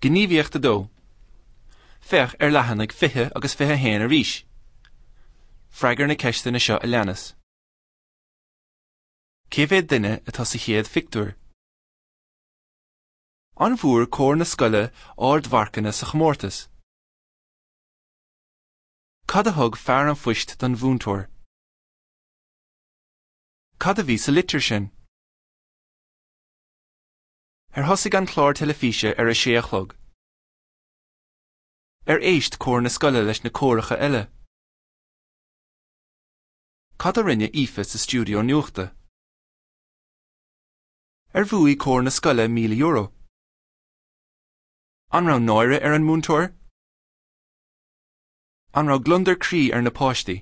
Gníomhaíocht 2. Féach ar leathanaigh 20 agus 21 arís. Freagair na ceisteanna seo a leanas. Cé mhéad duine atá sa chéad phictiúr? An bhfuair cór na scoile ardmharcanna sa chomórtas? Cad a thug fear an phoist don mhúinteoir? Cad a bhí sa litir sin? Ar thosaigh an clár teilifíse ar a sé a chlog? Ar éist cór na scoile leis na córacha eile? Cad a rinne Aoife sa stiúideo nuachta? Ar bhuaigh cór na scoile €1,000? An raibh náire ar an múinteoir? An raibh gliondar croí ar na páistí?